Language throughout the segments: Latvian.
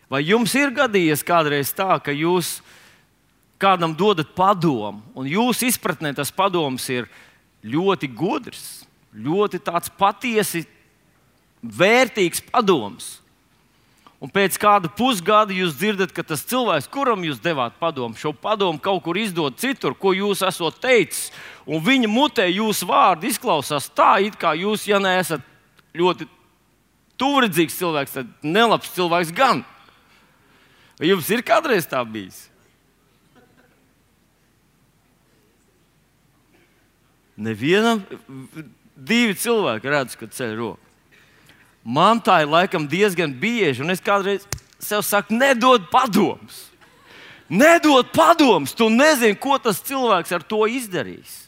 Vai jums ir gadījies kādreiz tā, ka jūs kādam dodat padomu, un jūsu izpratnē tas padoms ir ļoti gudrs, ļoti tāds patiesi vērtīgs padoms? Un pēc kāda pusgada jūs dzirdat, ka tas cilvēks, kuram jūs devāt padomu, šo padomu kaut kur izdod citur, ko jūs esat teicis, un viņa mutē jūsu vārdi izklausās tā, it kā jūs, ja neesat ļoti tuvredzīgs cilvēks, tad nelabs cilvēks gan. Vai jums ir kādreiz tā bijis? Nevienam, 2 cilvēki redz, ka ceļ roku. Man tā ir laikam diezgan bieži, un es kādreiz sev saku, nedod padomus. Nedod padomus, tu nezini, ko tas cilvēks ar to izdarīs.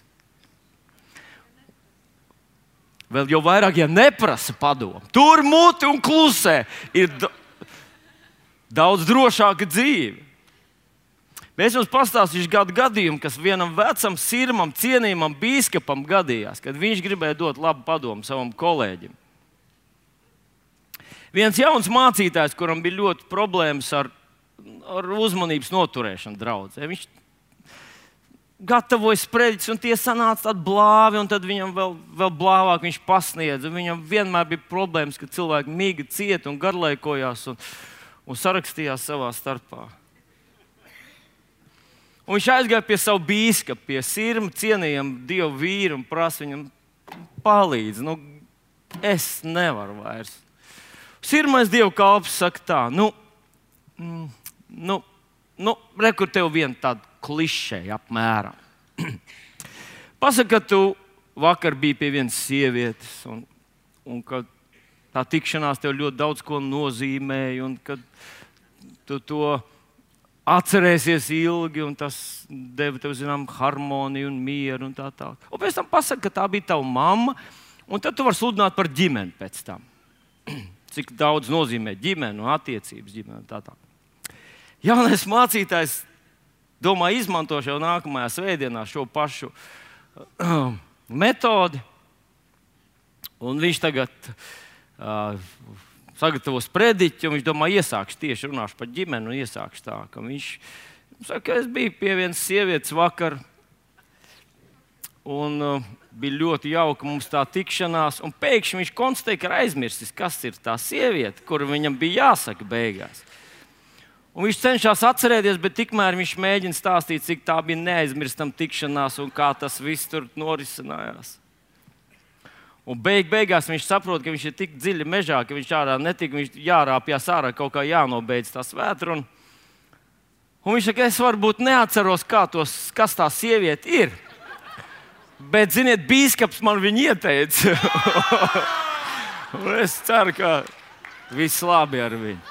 Vēl jau vairāk, ja neprasa padomu. Tur muti un klusē ir daudz drošāka dzīve. Es jums pastāstīšu kādu gadījumu, kas vienam vecam, sirmam, cienījamam bīskapam gadījās, kad viņš gribēja dot labu padomu savam kolēģim. Viens jauns mācītājs, kuram bija ļoti problēmas ar uzmanības noturēšanu draudzē, viņš gatavoja sprediķus, un tie sanāca tādi blāvi, un tad viņam vēl blāvāk viņš pasniedza. Viņam vienmēr bija problēmas, ka cilvēki miga cieta un garlaikojās un sarakstījās savā starpā. Un viņš aizgāja pie savu bīskapu, pie sirma cienījamu Dievu vīru un prasa viņam palīdz. Es nevaru vairs. Sirmais Dievu kalps saka tā, rekur tev viena tāda klišeja apmēram. Pasaka, ka tu vakar biji pie vienas sievietes un ka tā tikšanās tev ļoti daudz ko nozīmēja un ka tu to atcerēsies ilgi, un tas deva tev, zinām, harmoniju un mieru un tā tālāk. Un pēc tam pasaka, ka tā bija tava mamma, un tad tu vari sludināt par ģimeni pēc tam. Cik daudz nozīmē ģimene un attiecības ģimene un tā tālāk. Jaunais mācītājs domā izmanto jau nākamajā svētdienā šo pašu metodi, un viņš tagad sagatavos prediķi, un viņš domā, iesākšu tieši runāšu par ģimeni un iesākšu tā, ka viņš saka, es biju pie vienas sievietes vakar, un bija ļoti jauka mums tā tikšanās, un pēkšņi viņš konstatēja, ka ir aizmirsis, kas ir tā sieviete, kuru viņam bija jāsaka beigās. Un viņš cenšas atcerēties, bet tikmēr viņš mēģina stāstīt, cik tā bija neaizmirstama tikšanās un kā tas viss tur norisinājās. Un beigās viņš saprot, ka viņš ir tik dziļi mežā, ka viņš ārā netika, viņš jārāpjas ārā, kaut kā jānobeidz tās vētra. Un viņš saka, es varbūt neatceros, kas tā sieviete ir. Bet, ziniet, bīskaps man viņu ieteica. Un es ceru, ka viss labi ar viņu.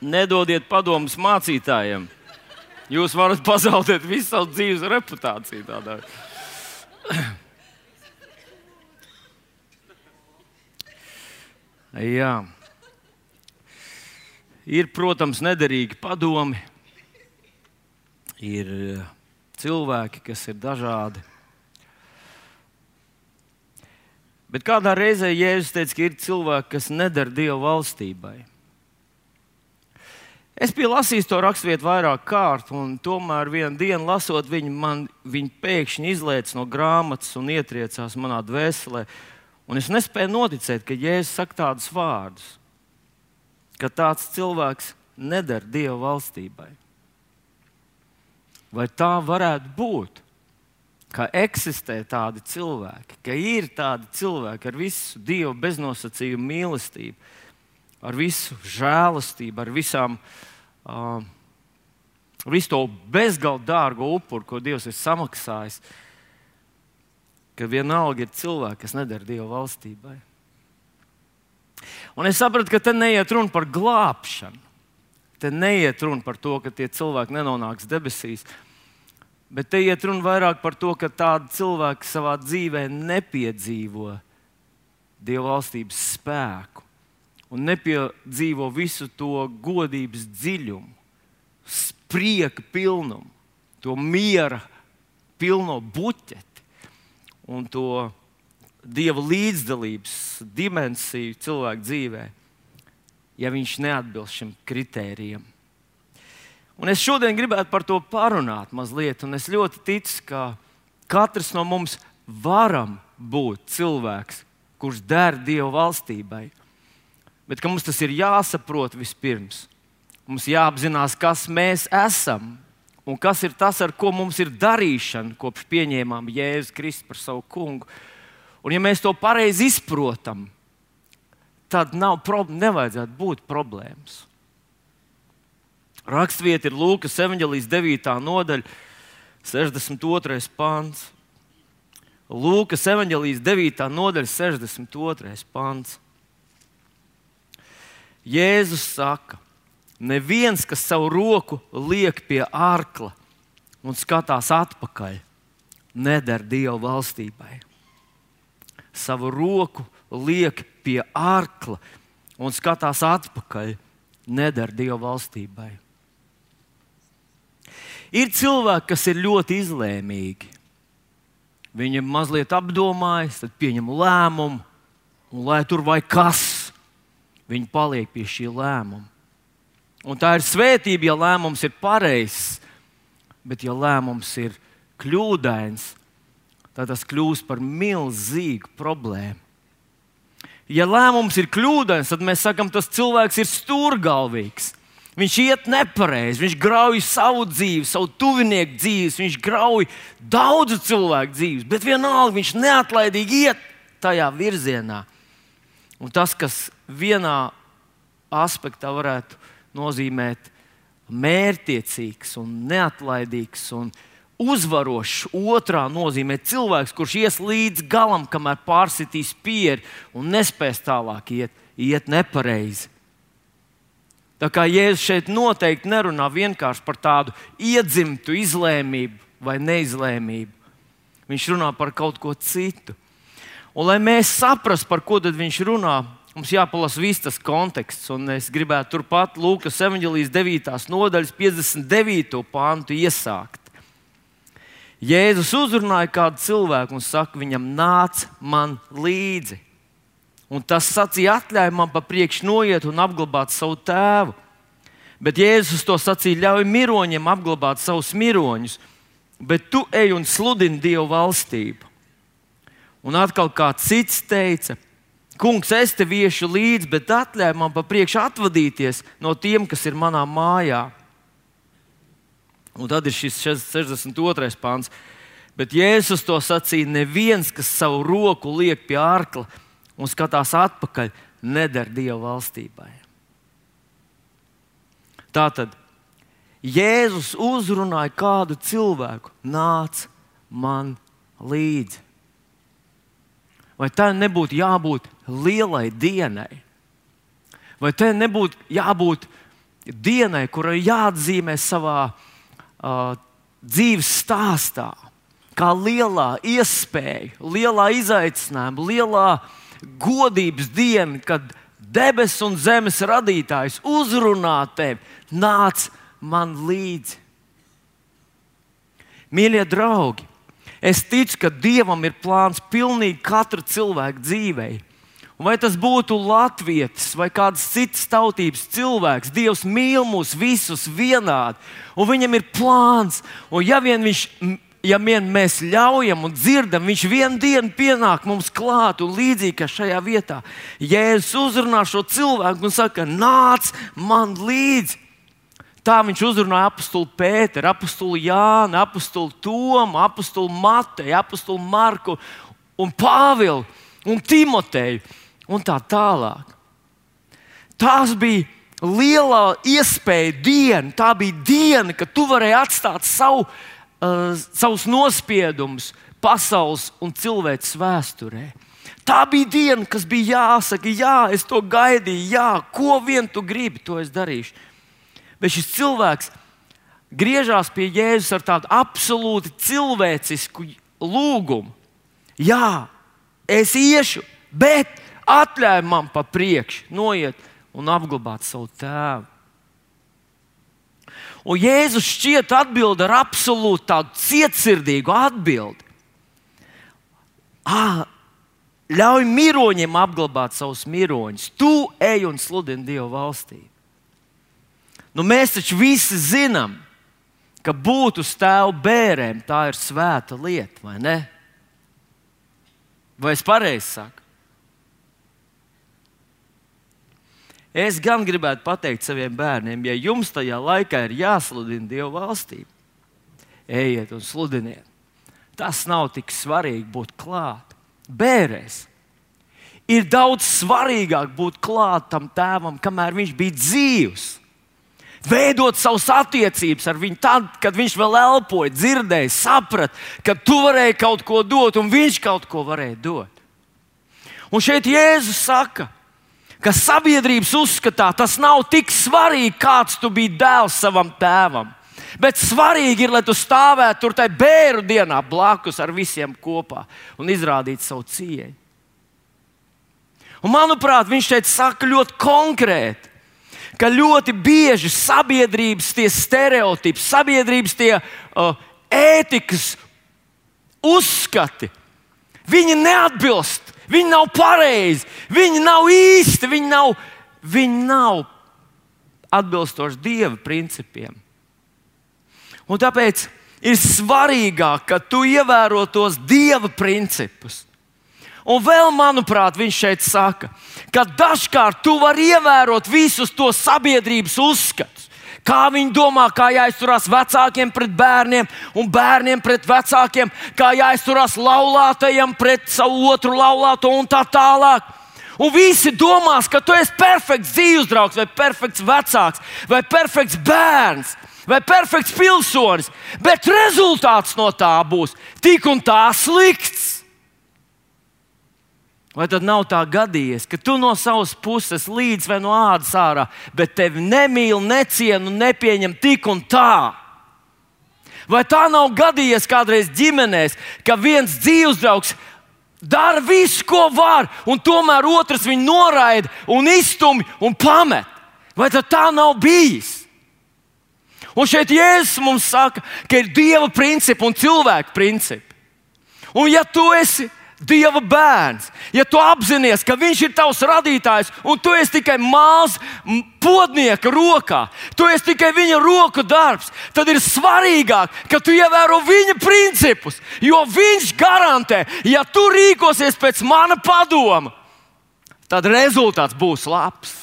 Nedodiet padomus mācītājiem. Jūs varat pazaudēt visu savu dzīves reputāciju tādā. Jā. Ir, protams, nederīgi padomi. Ir cilvēki, kas ir dažādi. Bet kādā reizē Jēzus teica, ka ir cilvēki, kas neder Dieva valstībai. Es biju lasījis to raksturvietu vairāk kārt, un tomēr vienu dienu lasot viņu pēkšņi izlēca no grāmatas un ietriecās manā dvēselē. Un es nespēju noticēt, ka Jēzus saka tādus vārdus, ka tāds cilvēks neder Dieva valstībai. Vai tā varētu būt, ka eksistē tādi cilvēki, ka ir tādi cilvēki ar visu Dieva beznosacījumu mīlestību, ar visu žēlastību, ar visu to bezgalīgi dārgo upuru, ko Dievs ir samaksājis, ka vienalga ir cilvēki, kas neder Dieva valstībai. Un es sapratu, ka te neiet runa par glābšanu. Te neiet runa par to, ka tie cilvēki nenonāks debesīs, bet te iet runa vairāk par to, ka tādi cilvēki savā dzīvē nepiedzīvo Dieva valstības spēku. Un nepiedzīvo visu to godības dziļumu, prieka pilnumu, to miera pilno buķeti un to Dieva līdzdalības dimensiju cilvēku dzīvē, ja viņš neatbilst šim kritērijam. Un es šodien gribētu par to parunāt mazliet, un es ļoti ticu, ka katrs no mums varam būt cilvēks, kurš der Dieva valstībai. Bet ka mums tas ir jāsaprot vispirms. Mums jāapzinās, kas mēs esam un kas ir tas, ar ko mums ir darīšana, kopš pieņēmām Jēzu Kristu par savu kungu. Un ja mēs to pareizi izprotam, tad nevajadzētu būt problēmas. Rakstvieta ir Lūkas evaņģelijas 9. nodaļa, 62. pants. Lūkas evaņģelijas 9. nodaļa, 62. pants. Jēzus saka, neviens, kas savu roku liek pie ārkla un skatās atpakaļ, neder Dieva valstībai. Savu roku liek pie ārkla un skatās atpakaļ, neder Dieva valstībai. Ir cilvēki, kas ir ļoti izlēmīgi. Viņi mazliet apdomājas, tad pieņem lēmumu, un lai tur vai kas, viņi paliek pie šī lēmuma. Un tā ir svētība, ja lēmums ir pareizs, bet ja lēmums ir kļūdains, tad tas kļūst par milzīgu problēmu. Ja lēmums ir kļūdains, tad mēs sakam, tas cilvēks ir stūrgalvīgs. Viņš iet nepareizi, viņš grauj savu dzīvi, savu tuvinieku dzīves, viņš grauj daudzu cilvēku dzīves, bet vienalga viņš neatlaidīgi iet tajā virzienā. Un tas, kas vienā aspektā varētu nozīmēt mērķtiecīgs un neatlaidīgs un uzvarošs, otrā nozīmē cilvēks, kurš ies līdz galam, kamēr pārsitīs pieri un nespēs tālāk iet nepareizi. Tā kā Jēzus šeit noteikti nerunā vienkārši par tādu iedzimtu izlēmību vai neizlēmību. Viņš runā par kaut ko citu. Un, lai mēs saprastu, par ko tad viņš runā, mums jāpalasa viss tas konteksts. Un es gribētu turpat Lūkas evaņģelijas 9. nodaļas 59. pantu iesākt. Jēzus uzrunāja kādu cilvēku un saka viņam, nāc man līdzi. Un tas sacīja, atļauj man pa priekšu noiet un apglabāt savu tēvu. Bet Jēzus to sacīja, ļauj miroņiem apglabāt savus miroņus, bet tu ej un sludini Dievu valstību. Un atkal kāds cits teica, kungs, es tev iešu līdzi, bet atļauj man pa priekšu atvadīties no tiem, kas ir manā mājā. Un tad ir šis 62. pants. Bet Jēzus to sacīja, neviens, kas savu roku liek pie ārkla un skatās atpakaļ, neder Dieva valstībai. Tātad Jēzus uzrunāja kādu cilvēku, nāc man līdzi. Vai tā nebūtu jābūt lielai dienai? Vai tā nebūtu jābūt dienai, kurai jāatzīmē savā dzīves stāstā, kā lielā iespēja, lielā izaicinājuma, lielā godības diena, kad debesis un zemes radītājs uzrunā tevi, nāc man līdzi. Mīļie draugi, es ticu, ka Dievam ir plāns pilnīgi katra cilvēka dzīvei. Un vai tas būtu latvietis vai kādas citas tautības cilvēks, Dievs mīl mūs visus vienādi, un viņam ir plāns. Un ja vien mēs ļaujam un dzirdam, viņš vienu dienu pienāk mums klāt un līdzīgi kā šajā vietā. Jēzus uzrunā šo cilvēku un saka, nāc man līdzi. Tā viņš uzrunāja apostuli Pēteru, apostuli Jānu, apostuli Tomu, apostuli Mateju, apostuli Marku un Pāvilu un Timoteju un tā tālāk. Tās bija lielā iespēja diena. Tā bija diena, kad tu varēji atstāt savus nospiedumus pasaules un cilvēces vēsturē. Tā bija diena, kas bija jāsaka, jā, es to gaidīju, jā, ko vien tu gribi, to es darīšu. Bet šis cilvēks griežās pie Jēzus ar tādu absolūti cilvēcisku lūgumu. Jā, es iešu, bet atļauj man pa priekšu noiet un apglabāt savu tēvu. Un Jēzus šķiet atbild ar absolūti tādu cietsirdīgu atbildi. Ļauj miroņiem apglabāt savus miroņus. Tu ej un sludini Dieva valstību. Nu, mēs taču visi zinām, ka būt uz tēva bērēm tā ir svēta lieta, vai ne? Vai es pareizi saku? Es gan gribētu pateikt saviem bērniem, ja jums tajā laikā ir jāsludina Dieva valstība, ejiet un sludiniet. Tas nav tik svarīgi būt klāt. Bērēs ir daudz svarīgāk būt klāt tam tēvam, kamēr viņš bija dzīvs. Veidot savas attiecības ar viņu tad, kad viņš vēl elpoja, dzirdēja, saprata, ka tu varēji kaut ko dot un viņš kaut ko varēja dot. Un šeit Jēzus saka, ka sabiedrības uzskatā tas nav tik svarīgi, kāds tu biji dēls savam tēvam. Bet svarīgi ir, lai tu stāvētu tur tajā bēru dienā blakus ar visiem kopā un izrādītu savu cieņu. Un, manuprāt, viņš šeit saka ļoti konkrēti, ka ļoti bieži sabiedrības tie stereotipi, sabiedrības tie ētikas uzskati, viņi neatbilst, viņi nav pareizi, viņi nav īsti, viņi nav atbilstoši Dieva principiem. Un tāpēc ir svarīgāk, ka tu ievēro tos Dieva principus. Un vēl, manuprāt, viņš šeit saka, ka dažkārt tu vari ievērot visus tos sabiedrības uzskatus. Kā viņi domā, kā jāizturās vecākiem pret bērniem un bērniem pret vecākiem, kā jāizturās laulātajiem pret savu otru laulāto un tā tālāk. Un visi domās, ka tu esi perfekts dzīvesdraugs, vai perfekts vecāks, vai perfekts bērns, vai perfekts pilsonis, bet rezultāts no tā būs tik un tā slikts. Vai tad nav tā gadījies, ka tu no savas puses līdz vai no ādas ārā, bet tevi nemīl, neciena un nepieņem tik un tā? Vai tā nav gadījies kādreiz ģimenēs, ka viens dzīvesdraugs dara visu, ko var, un tomēr otrs viņu noraida un izstumj un pamet? Vai tad tā nav bijis? Un šeit Jēzus mums saka, ka ir Dieva principi un cilvēka principi. Un ja tu esi Dieva bērns, ja tu apzinies, ka viņš ir tavs radītājs un tu esi tikai māls podnieka rokā, tu esi tikai viņa roku darbs, tad ir svarīgāk, ka tu ievēro viņa principus, jo viņš garantē, ja tu rīkosies pēc mana padoma, tad rezultāts būs labs.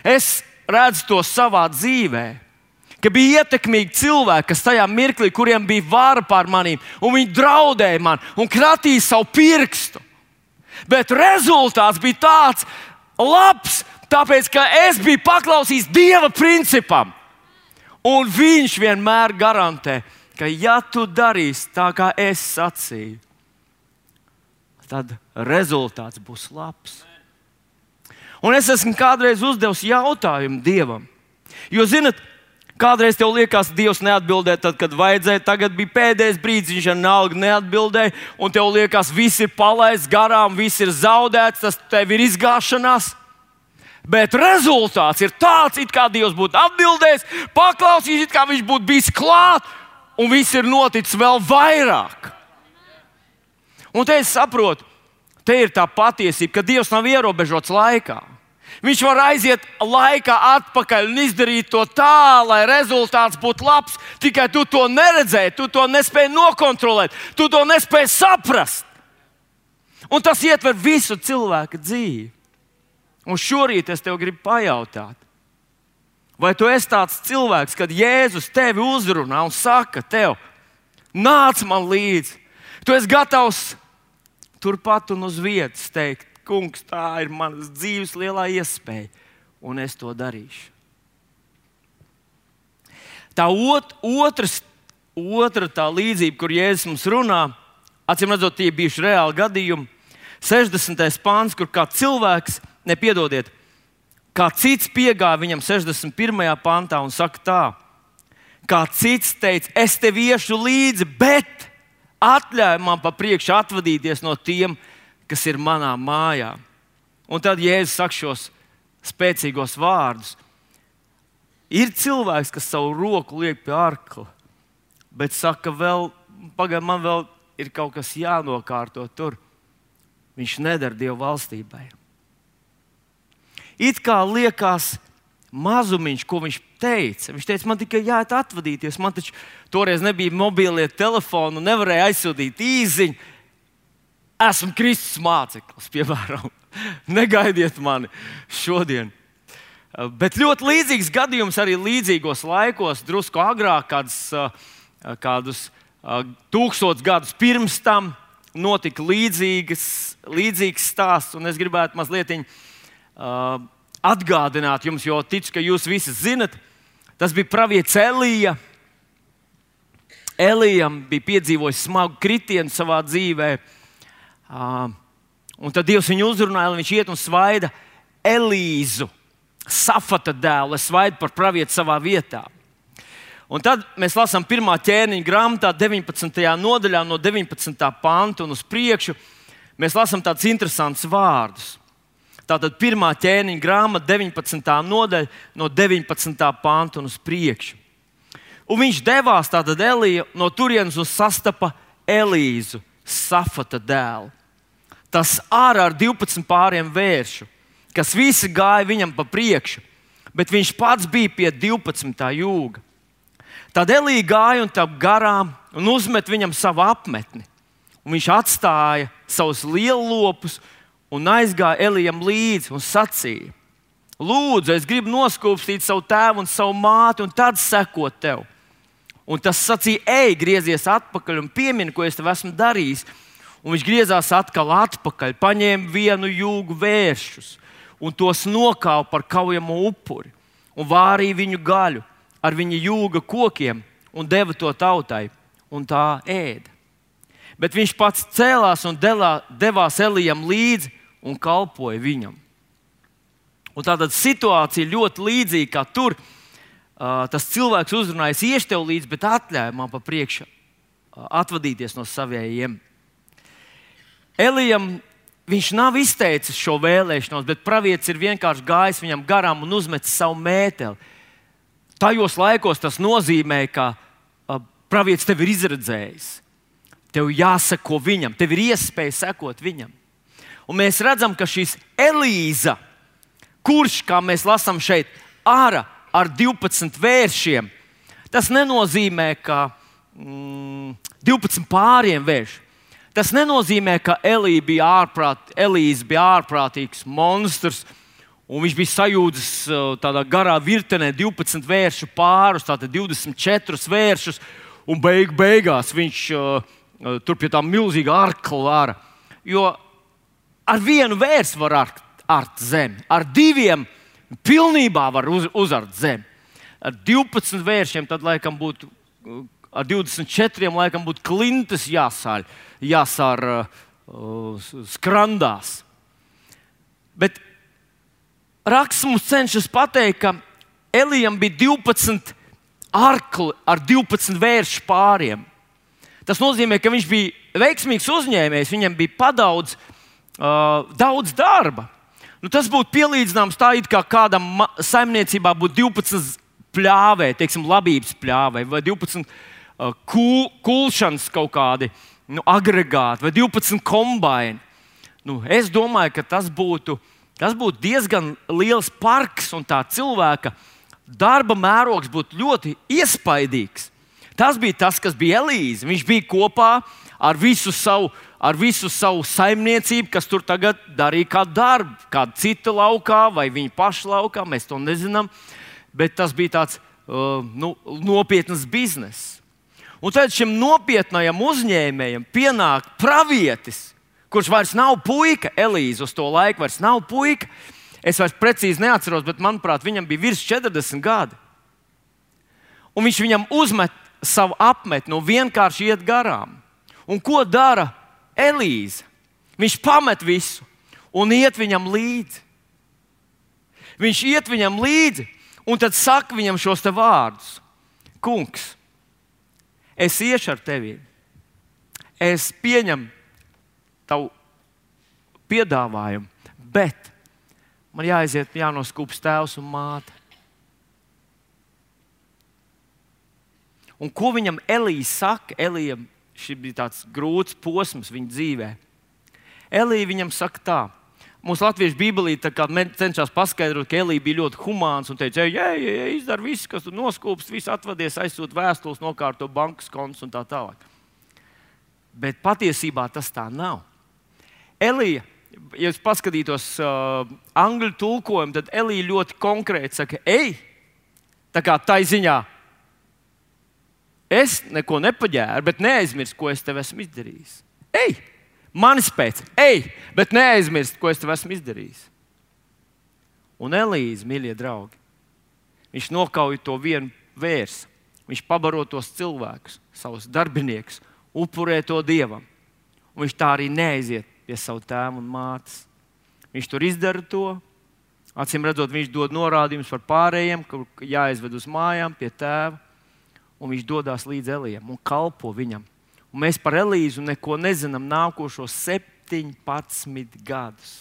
Es redzu to savā dzīvē, ka bija ietekmīgi cilvēki, kas tajā mirklī, kuriem bija vara pār manīm, un viņi draudēja man un kratīja savu pirkstu. Bet rezultāts bija tāds labs, tāpēc, ka es biju paklausījis Dieva principam. Un viņš vienmēr garantē, ka ja tu darīsi tā, kā es sacīju, tad rezultāts būs labs. Un es esmu kādreiz uzdevis jautājumu Dievam, jo, zinat, kādreiz tev liekas, Dievs neatbildēja tad, kad vajadzēja. Tagad bija pēdējais brīdis, viņš vienalga neatbildēja. Un tev liekas, viss ir palaists garām, viss ir zaudēts, tas tev ir izgāšanās. Bet rezultāts ir tāds, it kā Dievs būtu atbildējis, paklausījis, it kā viņš būtu bijis klāt, un viss ir noticis vēl vairāk. Un te es saprotu, te ir tā patiesība, ka Dievs nav ierobežots laikā. Viņš var aiziet laikā atpakaļ un izdarīt to tā, lai rezultāts būtu labs. Tikai tu to neredzēji, tu to nespēji nokontrolēt, tu to nespēji saprast. Un tas ietver visu cilvēka dzīvi. Un šorīt es tev gribu pajautāt, vai tu esi tāds cilvēks, kad Jēzus tevi uzrunā un saka tev, nāc man līdzi. Tu esi gatavs turpat un uz vietas teikt, Kungs, tā ir manas dzīves lielā iespēja, un es to darīšu. Tā otra tā līdzība, kur Jēzus mums runā, acīm redzot, tie bijuši reāli gadījumi. 60. pāns, kur kā cilvēks, kā cits piegāja viņam 61. pantā un saka tā, kā cits teica, es tev iešu līdzi, bet atļauj man pa priekšu atvadīties no tiem, kas ir manā mājā. Un tad Jēzus saka šos spēcīgos vārdus. Ir cilvēks, kas savu roku liek pie arkla, bet saka, pagaid, man vēl ir kaut kas jānokārto tur. Viņš nedara Dieva valstībai. It kā liekas mazumiņš, ko viņš teica. Viņš teica, man tikai jāiet atvadīties. Man taču toreiz nebija mobilie telefoni, nevarēja aizsūtīt īziņu. Esmu Kristus māceklis, piemēram. Negaidiet mani šodien. Bet ļoti līdzīgs gadījums arī līdzīgos laikos, drusku agrāk, kādus 1000 gadus pirms tam notika līdzīgs stāsts. Un es gribētu mazliet atgādināt jums, jo ticu, ka jūs visi zinat, tas bija pravietis Elija. Elijam bija piedzīvojis smagu kritienu savā dzīvē. Un tad Dievs viņu uzrunāja, lai viņš iet un svaida Elīzu, Safata dēlu, lai svaida par pravieti savā vietā. Un tad mēs lasām 1. ķēniņa grāmatā, 19. nodaļā, no 19. panta un uz priekšu. Mēs lasām tādus interesantus vārdus. Tātad 1. ķēniņa grāmata, 19. nodaļa, no 19. panta un uz priekšu. Un viņš devās, tātad Elija, no turienes un sastapa Elīzu, Safata dēlu. Tas ārā ar 12 pāriem vēršu, kas visi gāja viņam pa priekšu, bet viņš pats bija pie 12. jūga. Tad Elija gāja un tap garām un uzmet viņam savu apmetni. Un viņš atstāja savus liellopus un aizgāja Elijam līdzi un sacīja: Lūdzu, es gribu noskūpstīt savu tēvu un savu māti un tad sekot tev. Un tas sacīja: Ej, griezies atpakaļ un piemini, ko es tev esmu darījis. Un viņš griezās atkal atpakaļ, paņēma vienu jūgu vēršus un tos nokāva par kaujamo upuri un vārīja viņu gaļu ar viņa jūga kokiem un deva to tautai, un tā ēda. Bet viņš pats cēlās un devās Elijam līdzi un kalpoja viņam. Un tātad situācija ļoti līdzīga kā tur. Tas cilvēks uzrunājas, iešu tev līdzi, bet atļauj man pa priekšu atvadīties no savējiem. Elijam viņš nav izteicis šo vēlēšanos, bet pravietis ir vienkārši gājis viņam garām un uzmetis savu mēteli. Tajos laikos tas nozīmē, ka pravietis tevi ir izredzējis. Tev jāseko viņam, tev ir iespēja sekot viņam. Un mēs redzam, ka šis Elīza, kurš, kā mēs lasām šeit, ārā ar 12 vēršiem, tas nenozīmē, ka 12 pāriem vērši. Tas nenozīmē, ka Elīze bija ārprātīgs monstrs, un viņš bija sajūdzis tādā garā virtenē 12 vēršu pārus, tātad 24 vēršus, un beigās viņš tur pie tā milzīga arkla vara. Jo ar vienu vērsu var art zemi, ar diviem pilnībā var uzart zemi. Ar 12 vēršiem tad laikam būtu, ar 24 laikam būtu klintas jāsār skrandās. Bet raksts mums cenšas pateikt, ka Elijam bija 12 arkli ar 12 vēršu pāriem. Tas nozīmē, ka viņš bija veiksmīgs uzņēmējs, viņam bija daudz darba. Tas būtu pielīdzināms tā, it kā kādam saimniecībā būtu 12 pļāvēji, teiksim, labības pļāvēji, vai 12 kulšanas kaut kādi agregāti, vai 12 kombaini. Es domāju, ka tas būtu diezgan liels parks, un tā cilvēka darba mērogs būtu ļoti iespaidīgs. Tas bija tas, kas bija Elīze. Viņš bija kopā ar visu savu saimniecību, kas tur tagad darīja kādu darbu, kādu citu laukā vai viņa paša laukā. Mēs to nezinām, bet tas bija tāds nopietns bizness. Un tad šim nopietnajam uzņēmējam pienāk pravietis, kurš vairs nav puika. Elīze uz to laiku vairs nav puika. Es vairs precīzi neatceros, bet manuprāt, viņam bija virs 40 gadi. Un viņš viņam uzmet savu apmetni un vienkārši iet garām. Un ko dara Elīze? Viņš pamet visu un iet viņam līdzi. Viņš iet viņam līdzi un tad saka viņam šos te vārdus: Kungs, es iešu ar tevi. Es pieņemu tavu piedāvājumu, bet man jānoskūpst tēvs un māte. Un ko viņam Elija saka? Elijam šis bija tāds grūts posms viņa dzīvē. Elija viņam saka tā. Mūsu latviešu bībelī cenšas paskaidrot, ka Elija bija ļoti humāns un teica, ej, izdara visu, kas tur noskūpst, viss atvadies, aizsūt vēstules, nokārto bankas kontus un tā tālāk. Bet patiesībā tas tā nav. Elija, ja es paskatītos angļu tulkojumu, tad Elija ļoti konkrēti saka, ej, tā kā tai ziņā, es neko nepaģēru, bet neaizmirst, ko es tev esmu izdarījis. Ej! Manis pēc, ej, bet neaizmirst, ko es tev esmu izdarījis. Un Elīze, mīļie draugi, viņš nokauj to vienu vērsu. Viņš pabaro tos cilvēkus, savus darbiniekus, upurē to Dievam. Un viņš tā arī neaiziet pie savu tēvu un mātes. Viņš tur izdara to. Acīm redzot, viņš dod norādījumus par pārējiem, kur jāaizved uz mājām pie tēva. Un viņš dodās līdz Elijam un kalpo viņam. Un mēs par Elīzu neko nezinām nākošos 17 gadus.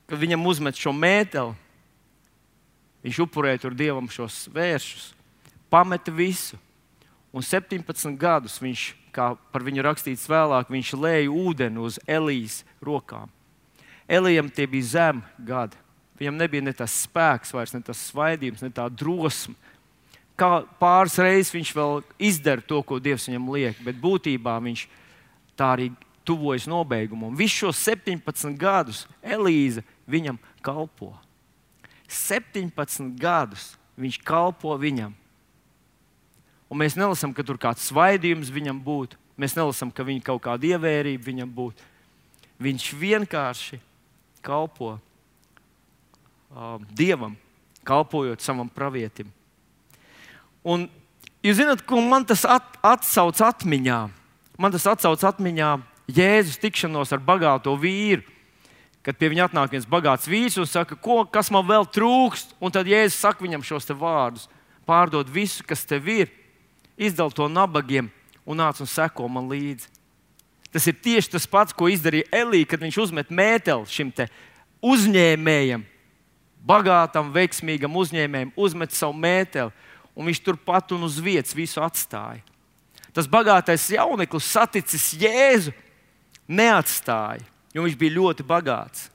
Kad viņam uzmet šo mēteli, viņš upurēja tur Dievam šos vēršus, pameta visu. Un 17 gadus viņš, kā par viņu rakstīts vēlāk, viņš lēja ūdeni uz Elijas rokām. Elijam tie bija zemi gadi. Viņam nebija ne tas spēks vairs, ne tas svaidījums, ne tā drosme. Kā pāris reizes viņš vēl izdara to, ko Dievs viņam liek, bet būtībā viņš tā arī tuvojas nobeigumam. Visus šos 17 gadus Elīze viņam kalpo. 17 gadus viņš kalpo viņam. Un mēs nelasām, ka tur kāds svaidījums viņam būtu. Mēs nelasām, ka viņa kaut kāda ievērība viņam būtu. Viņš vienkārši kalpo Dievam, kalpojot savam pravietim. Un jūs zināt, ko man tas atsauc atmiņā? Man tas atsauc atmiņā Jēzus tikšanos ar bagāto vīru. Kad pie viņa atnāk viens bagāts vīrs un saka, kas man vēl trūkst? Un tad Jēzus saka viņam šos te vārdus. Pārdod visu, kas tev ir, izdal to nabagiem un nāc un seko man līdzi. Tas ir tieši tas pats, ko izdarīja Elija, kad viņš uzmet mēteli šim te uzņēmējam, bagātam, veiksmīgam uzņēmējam, uzmet savu mēteli. Un viņš turpat un uz vietas visu atstāja. Tas bagātais jauneklis saticis Jēzu, neatstāja, jo viņš bija ļoti bagāts.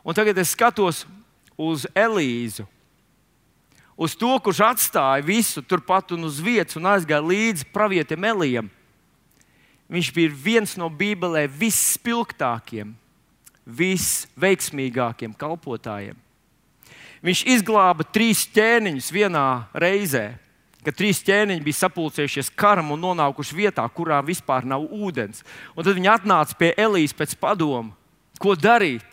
Un tagad es skatos uz Elīzu, uz to, kurš atstāja visu turpat un uz vietas un aizgāja līdzi pravietim Elijam. Viņš bija viens no Bībelē visspilgtākiem, visveiksmīgākiem kalpotājiem. Viņš izglāba 3 ķēniņus vienā reizē, kad 3 ķēniņi bija sapulcējušies karam un nonākuši vietā, kurā vispār nav ūdens. Un tad viņi atnāca pie Elijas pēc padoma, ko darīt.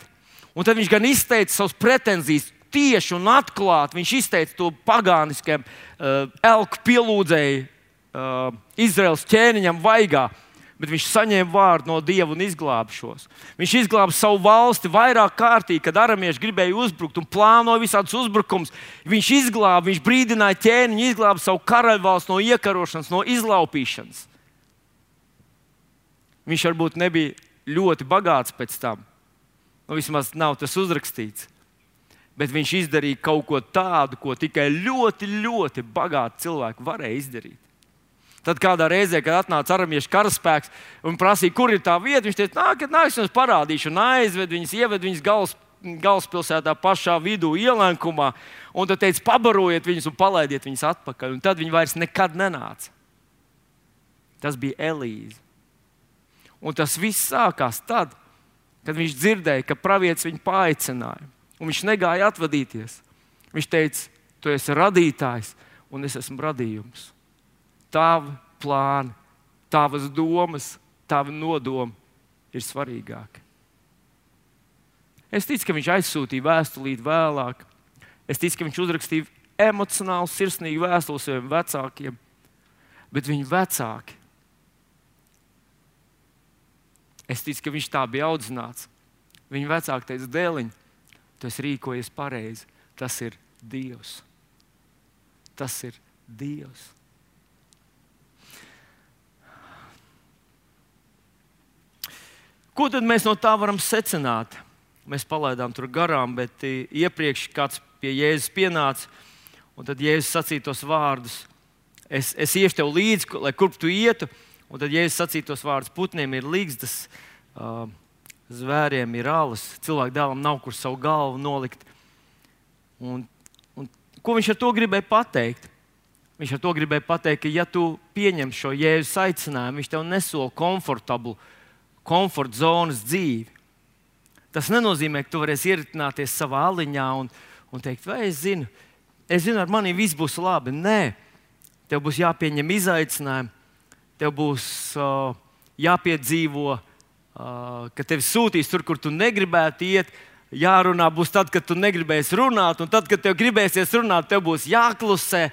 Un tad viņš gan izteica savas pretenzijas tieši un atklāti. Viņš izteica to pagāniskiem elku pielūdzēju Izraels ķēniņam vaigā. Bet viņš saņēma vārdu no Dieva un izglāba šos. Viņš izglāba savu valsti vairāk kārtīgi, kad aramieši gribēja uzbrukt un plānoja visādus uzbrukumus. Viņš izglāba, viņš brīdināja ķēniņu, izglāba savu karaļvalsti no iekarošanas, no izlaupīšanas. Viņš varbūt nebija ļoti bagāts pēc tam. Vismaz nav tas uzrakstīts. Bet viņš izdarīja kaut ko tādu, ko tikai ļoti, ļoti bagāti cilvēki varēja izdarīt. Tad kādā reizē, kad atnāca aramiešu karaspēks un prasīja, kur ir tā vieta, viņš teica, nāc, es jums parādīšu, un aizved viņus, ieved viņus galvaspilsētā pašā vidū, ielenkumā, un tad teica, pabarojiet viņus un palaidiet viņus atpakaļ. Un tad viņi vairs nekad nenāca. Tas bija Elīze. Un tas viss sākās tad, kad viņš dzirdēja, ka pravietis viņu paaicināja, un viņš negāja atvadīties. Viņš teica, tu esi radītājs, un es esmu radījums. Tavi plāni, tavas domas, tavi nodomi ir svarīgāki. Es ticu, ka viņš aizsūtīja vēstulīti vēlāk. Es ticu, ka viņš uzrakstīja emocionāli, sirsnīgi vēstuli saviem vecākiem. Bet viņu vecāki, es ticu, ka viņš tā bija audzināts. Viņa vecāki teica, dēliņ, tu esi rīkojies pareizi. Tas ir Dievs. Tas ir Dievs. Ko tad mēs no tā varam secināt? Mēs palaidām tur garām, bet iepriekš kāds pie Jēzus pienāca Un tad Jēzus sacīja tos vārdus: es iešu tev līdzi, lai kurp tu ietu. Un tad Jēzus sacīja tos vārdus: putniem ir ligzdas, zvēriem ir alas, cilvēku dēlam nav kur savu galvu nolikt. Un ko viņš ar to gribēja pateikt? Viņš ar to gribēja pateikt, ka ja tu pieņem šo Jēzus aicinājumu, viņš tev nesola komforta zonas dzīvi. Tas nenozīmē, ka tu varēsi ieritināties savā aliņā un teikt, vai es zinu, ar mani viss būs labi. Nē, tev būs jāpieņem izaicinājumi, tev būs jāpiedzīvo, ka tevi sūtīs tur, kur tu negribētu iet. Jārunā būs tad, kad tu negribēsi runāt, un tad, kad tev gribēsies runāt, tev būs jāklusē.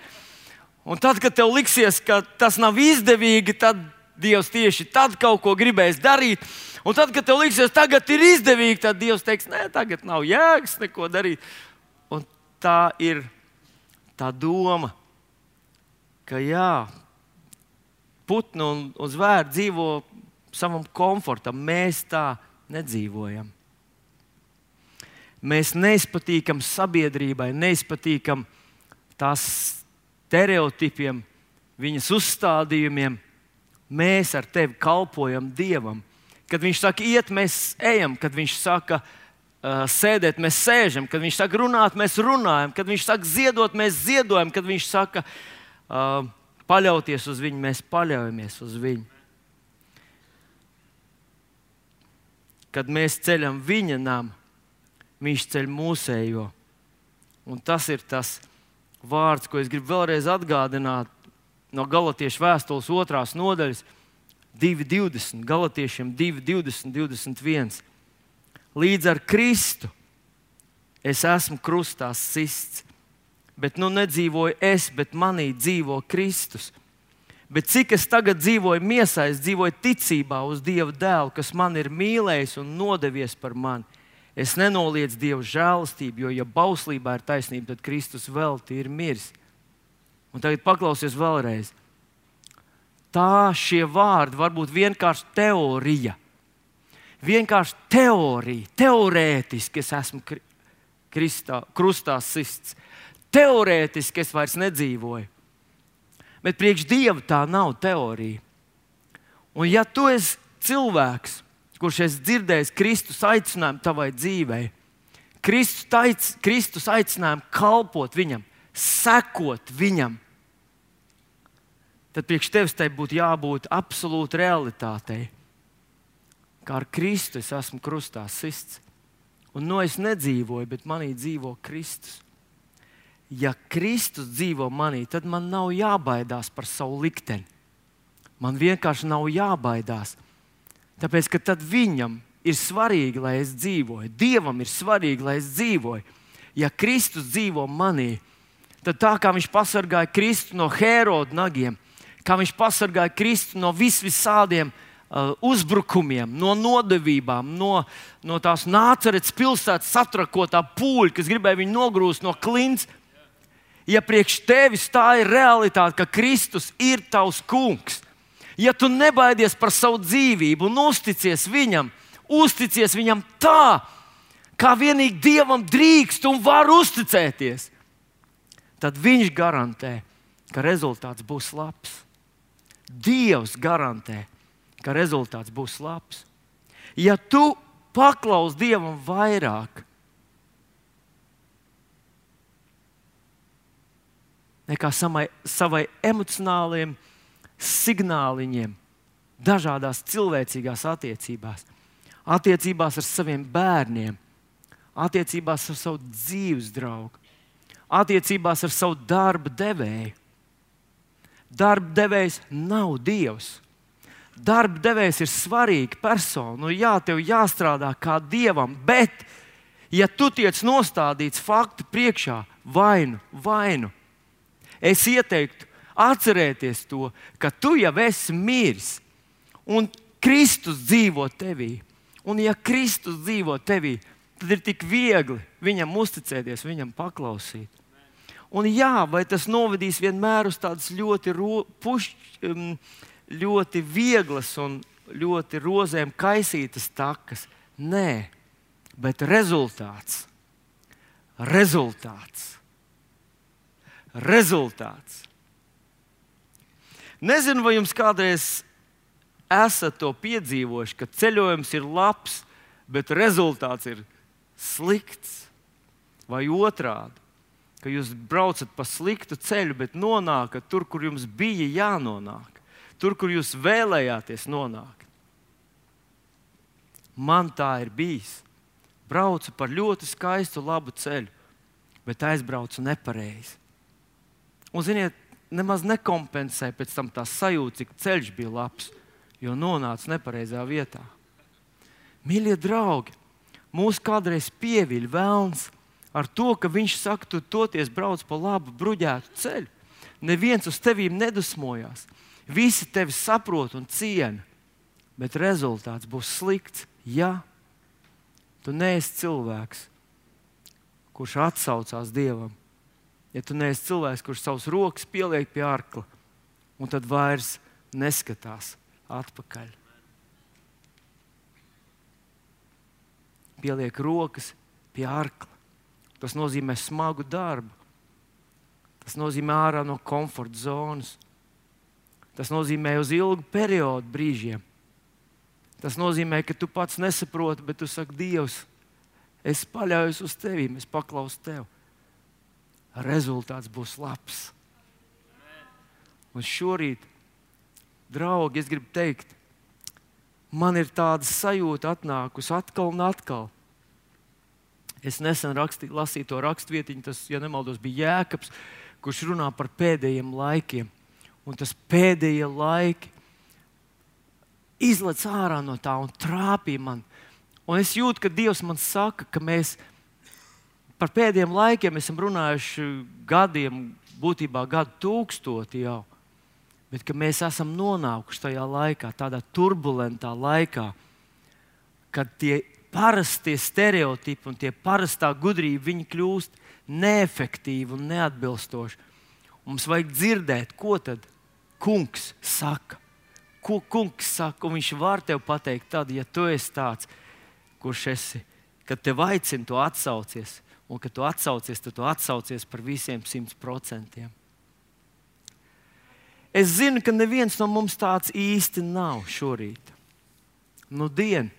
Un tad, kad tev liksies, ka tas nav izdevīgi, tad Dievs tieši tad kaut ko gribēs darīt. Un tad, kad tev liksies, tagad ir izdevīgi, tad Dievs teiks, nē, tagad nav jēgas neko darīt. Un tā ir tā doma, ka jā, putni un zvēri dzīvo savam komfortam. Mēs tā nedzīvojam. Mēs neizpatīkam sabiedrībai, neizpatīkam tās stereotipiem, viņas uzstādījumiem. Mēs ar tevi kalpojam Dievam. Kad viņš saka iet, mēs ejam. Kad viņš saka sēdēt, mēs sēžam. Kad viņš saka runāt, mēs runājam. Kad viņš saka ziedot, mēs ziedojam. Kad viņš saka paļauties uz viņu, mēs paļaujamies uz viņu. Kad mēs ceļam viņa namu, viņš ceļ mūsējo. Un tas ir tas vārds, ko es gribu vēlreiz atgādināt no Galatiešu vēstules 2. nodaļas 2.20. Galatiešiem 2.20, 21. Līdz ar Kristu es esmu krustā sists, bet nu nedzīvoju es, bet manī dzīvo Kristus. Bet cik es tagad dzīvoju miesā, es dzīvoju ticībā uz Dieva dēlu, kas man ir mīlējis un nodevies par mani. Es nenoliedzu Dieva žēlastību, jo ja bauslībā ir taisnība, tad Kristus velti ir miris. Un tagad paklausies vēlreiz. Šie vārdi var būt vienkārši teorija. Vienkārši teorija, teorētiski es esmu krustā sists. Teorētiski es vairs nedzīvoju. Bet priekš Dieva tā nav teorija. Un ja tu esi cilvēks, kurš esi dzirdējis Kristus aicinājumu tavai dzīvei, Kristus aicinājumu kalpot viņam, sekot viņam, tad priekš tevis tai būtu jābūt absolūti realitātei. Kā ar Kristu es esmu krustā sists. Un es nedzīvoju, bet manī dzīvo Kristus. Ja Kristus dzīvo manī, tad man nav jābaidās par savu likteni. Man vienkārši nav jābaidās. Tāpēc, ka tad viņam ir svarīgi, lai es dzīvoju. Dievam ir svarīgi, lai es dzīvoju. Ja Kristus dzīvo manī, tad tā kā viņš pasargāja Kristu no Hēroda nagiem, kā viņš pasargāja Kristu no visādiem uzbrukumiem, no nodevībām, no tās Nācaretes pilsētas satrakotā pūļa, kas gribēja viņu nogrūst no klints. Ja priekš tevis tā ir realitāte, ka Kristus ir tavs kungs, ja tu nebaidies par savu dzīvību un uzticies viņam tā, kā vienīgi Dievam drīkst un var uzticēties, tad viņš garantē, ka rezultāts būs labs. Dievs garantē, ka rezultāts būs labs. Ja tu paklausi Dievam vairāk nekā savai emocionāliem signāliņiem, dažādās cilvēcīgās attiecībās, attiecībās ar saviem bērniem, attiecībās ar savu dzīves draugu, attiecībās ar savu darba devēju. Darba devējs nav Dievs. Darba devējs ir svarīga persona. Jā, tev jāstrādā kā Dievam, bet, ja tu tiec nostādīts faktu priekšā, vainu, es ieteiktu atcerēties to, ka tu jau esi miris un Kristus dzīvo tevī. Un ja Kristus dzīvo tevī, tad ir tik viegli viņam uzticēties, viņam paklausīt. Un jā, vai tas novedīs vienmēr uz tādas ļoti vieglas un ļoti rozēm kaisītas takas? Nē, bet rezultāts rezultāts. Nezinu, vai jums kādreiz esat to piedzīvojuši, ka ceļojums ir labs, bet rezultāts ir slikts. Vai otrādi, ka jūs braucat pa sliktu ceļu, bet nonākat tur, kur jums bija jānonāk. Tur, kur jūs vēlējāties nonākt. Man tā ir bijis. Braucu par ļoti skaistu, labu ceļu, bet aizbraucu nepareizi. Un, ziniet, nemaz nekompensē pēc tam tā sajūta, cik ceļš bija labs, jo nonāca nepareizā vietā. Mīļie draugi, mūs kādreiz pieviļ velns ar to, ka viņš saka, tu toties brauc pa labu, bruģētu ceļu. Neviens uz tevīm nedusmojās. Visi tevi saprot un ciena, bet rezultāts būs slikts, ja tu neesi cilvēks, kurš atsaucās Dievam. Ja tu neesi cilvēks, kurš savus rokas pieliek pie arkla un tad vairs neskatās atpakaļ. Pieliek rokas pie arkla. Tas nozīmē smagu darbu. Tas nozīmē ārā no komforta zonas. Tas nozīmē uz ilgu periodu brīžiem. Tas nozīmē, ka tu pats nesaproti, bet tu saki, Dievs, es paļaujos uz tevīm, es paklausu tev. Rezultāts būs labs. Un šorīt, draugi, es gribu teikt, man ir tāda sajūta atnākusi atkal un atkal. Es nesen lasīju to rakstvietiņu, tas, ja nemaldos, bija Jēkabs, kurš runā par pēdējiem laikiem. Un tas pēdējie laiki izlec ārā no tā un trāpīja man. Un es jūtu, ka Dievs man saka, ka mēs par pēdējiem laikiem esam runājuši gadiem, būtībā gadu tūkstoti jau, bet ka mēs esam nonākuši tajā laikā, tādā turbulentā laikā, kad tie parastie stereotipi un tie parastā gudrība, viņi kļūst neefektīvi un neatbilstoši. Mums vajag dzirdēt, ko tad kungs saka. Ko kungs saka, un viņš var tev pateikt tad, ja tu esi tāds, kurš esi, kad tev aicina, tu atsaucies. Un, kad tu atsaucies, tad tu atsaucies par visiem 100%. Es zinu, ka neviens no mums tāds īsti nav šorīt. Dien.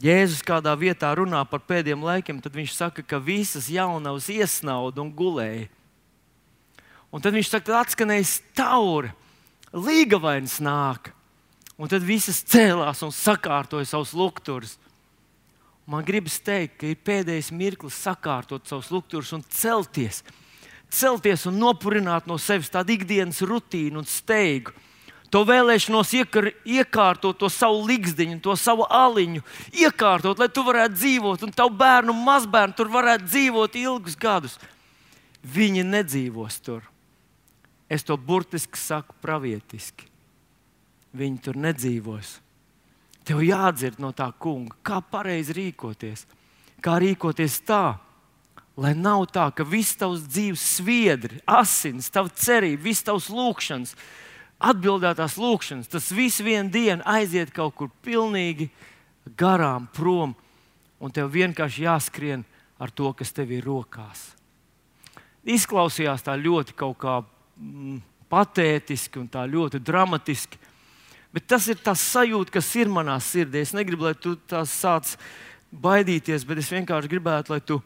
Jēzus kādā vietā runā par pēdējiem laikiem, tad viņš saka, ka visas jaunavas iesnauda un gulēja. Un tad viņš saka, ka atskanēja staura, līgavains nāk. Un tad visas cēlās un sakārtoja savus lukturus. Man gribas teikt, ka ir pēdējais mirklis sakārtot savus lukturus un celties. Celties un nopurināt no sevis tādu ikdienas rutīnu un steigu. To vēlēšanos iekārtot to savu ligzdiņu, to savu aliņu, iekārtot, lai tu varētu dzīvot, un tavu bērnu un mazbērnu tur varētu dzīvot ilgus gadus. Viņi nedzīvos tur. Es to burtiski saku pravietiski. Viņi tur nedzīvos. Tev jādzird no tā kunga, kā pareizi rīkoties. Kā rīkoties tā, lai nav tā, ka viss tavs dzīves sviedri, asins, tava cerība, viss tavs lūkšanas, atbildētās lūkšanas, tas viss vienu dienu aiziet kaut kur pilnīgi garām prom, un tev vienkārši jāskrien ar to, kas tev ir rokās. Izklausījās tā ļoti kaut kā patētiski un tā ļoti dramatiski, bet tas ir tas sajūta, kas ir manā sirdī. Es negribu, lai tu tās sāc baidīties, bet es vienkārši gribētu, lai tu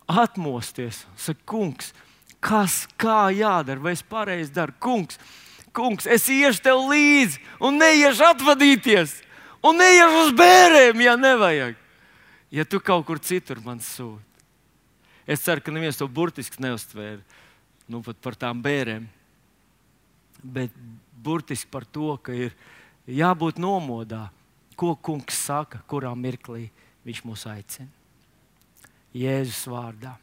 atmosties. Saki, kungs, kā jādara, vai es pareizi daru? Kungs, es iešu tev līdzi un neiešu atvadīties. Un neiešu uz bērēm, ja nevajag. Ja tu kaut kur citur man sūti. Es ceru, ka neviens to burtiski neuztvēra. Pat par tām bērēm. Bet burtiski par to, ka ir jābūt nomodā, ko kungs saka, kurā mirklī viņš mūs aicina. Jēzus vārdā.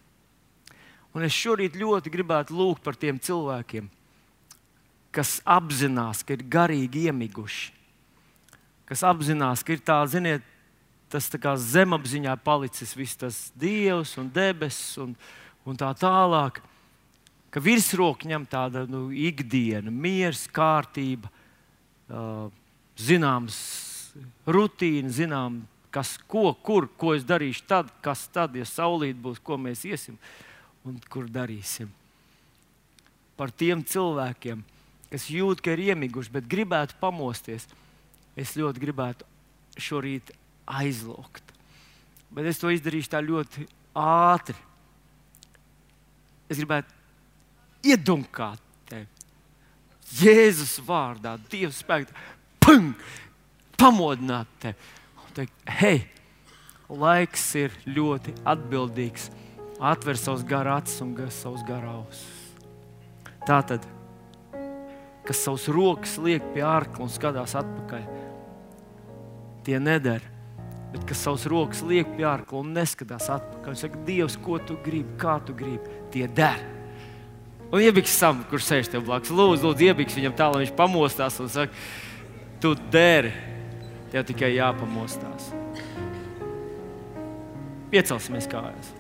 Un es šorīt ļoti gribētu lūgt par tiem cilvēkiem, kas apzinās, ka ir garīgi iemiguši. Kas apzinās, ka ir tā, ziniet, tas tā kā zemapziņā palicis viss tas Dievs un debesis un tā tālāk. Ka virsroku ņem tāda ikdiena, miers, kārtība, zināms rutīna, zinām, ko es darīšu tad, kas tad, ja saulīt būs, ko mēs iesim un kur darīsim. par tiem cilvēkiem, kas jūt, ka ir iemiguši, bet gribētu pamosties. Es ļoti gribētu šorīt aizlūgt. Bet es to izdarīšu tā ļoti ātri. Es gribētu iedunkāt tevi. Jēzus vārdā, Dieva spēkā, pamodināt tevi. Un teikt, hei, laiks ir ļoti atbildīgs. Atver savus garu acis un savus garu ausis. Tātad, kas savus rokas liek pie ārkla un skatās atpakaļ, tie nedara. Bet kas savus rokas liek pie ārkla un neskatās atpakaļ, saka, Dievs, ko tu gribi, kā tu gribi, tie dara. Un iebiks Sam, kurš sēž tev blakus. Lūdzu, iebiks viņam tā, lai viņš pamostās un saka, tu dari, tev tikai jāpamostās. Piecelsimies kājās.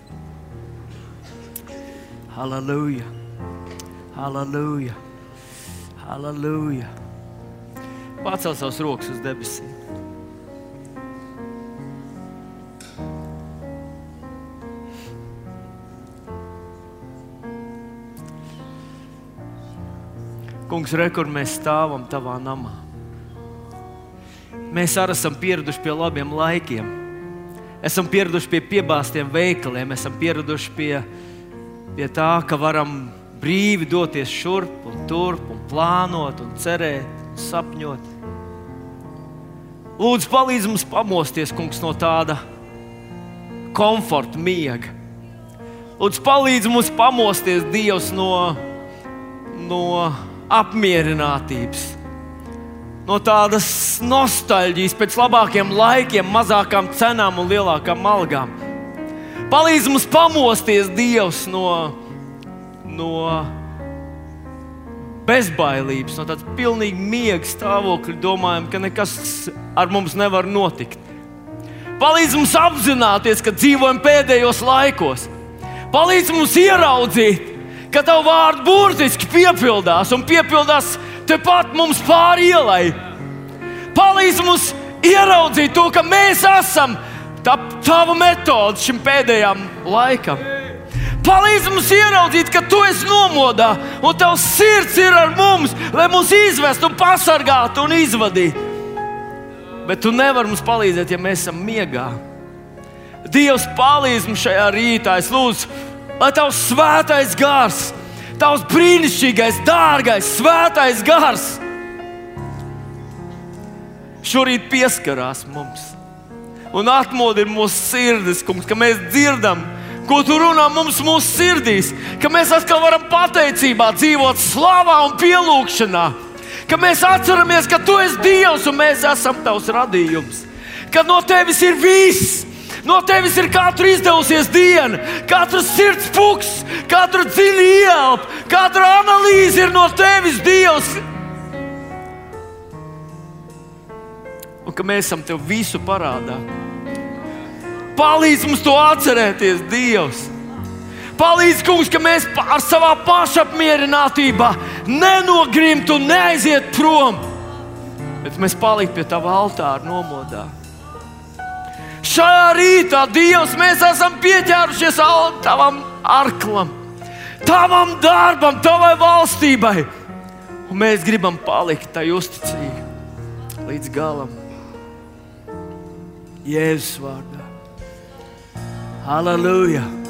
Halleluja, halleluja, halleluja. Pacel savus rokas uz debesīm. Kungs, re, kur mēs stāvam tavā namā. Mēs arī esam pieraduši pie labiem laikiem. Esam pieraduši pie piebāstiem veikaliem. Esam pieraduši pie tā, ka varam brīvi doties šurp un turp un plānot un cerēt un sapņot. Lūdzu, palīdz mums pamosties, Kungs, no tāda komforta miega. Lūdzu, palīdz mums pamosties, Dievs, no apmierinātības, no tādas nostalģijas pēc labākiem laikiem, mazākām cenām un lielākām algām. Palīdz mums pamosties, Dievs, no bezbailības, no tādas pilnīgi miega stāvokļa, domājam, ka nekas ar mums nevar notikt. Palīdz mums apzināties, ka dzīvojam pēdējos laikos. Palīdz mums ieraudzīt, ka Tavu vārdu burtiski piepildās un piepildās tepat mums pāri ielai. Palīdz mums ieraudzīt to, ka mēs esam Tava metode šim pēdējām laikam. Palīdz mums ieraudzīt, ka Tu esi nomodā un Tavs sirds ir ar mums, lai mūs izvestu un pasargātu un izvadītu. Bet Tu nevari mums palīdzēt, ja mēs esam miegā. Dievs, palīdz mums šajā rītā. Es lūdzu, lai Tavs svētais gars, Tavs brīnišķīgais, dārgais, svētais gars šorīt pieskarās mums un atmodina mūsu sirdis, Kungs, ka mēs dzirdam, ko Tu runā mums mūsu sirdīs, ka mēs atkal varam pateicībā dzīvot slavā un pielūgšanā, ka mēs atceramies, ka Tu esi Dievs un mēs esam Tavs radījums, ka no Tevis ir viss. No Tevis ir katra izdevusies diena, katrs sirds puksts, katra dziļa ieelpa, katra analīze ir no Tevis, Dievs. Un ka mēs esam Tev visu parādā. Palīdz mums to atcerēties, Dievs. Palīdz, Kungs, ka mēs ar savā pašapmierinātībā nenogrimtu un neaiziet prom, bet mēs paliktu pie Tava altāra nomodā. Šajā rītā, Dievs, mēs esam pieķērušies Tavam arklam, Tavam darbam, Tavai valstībai. Un mēs gribam palikt tai uzticīgi līdz galam. Jēzus vārdā. Halleluja!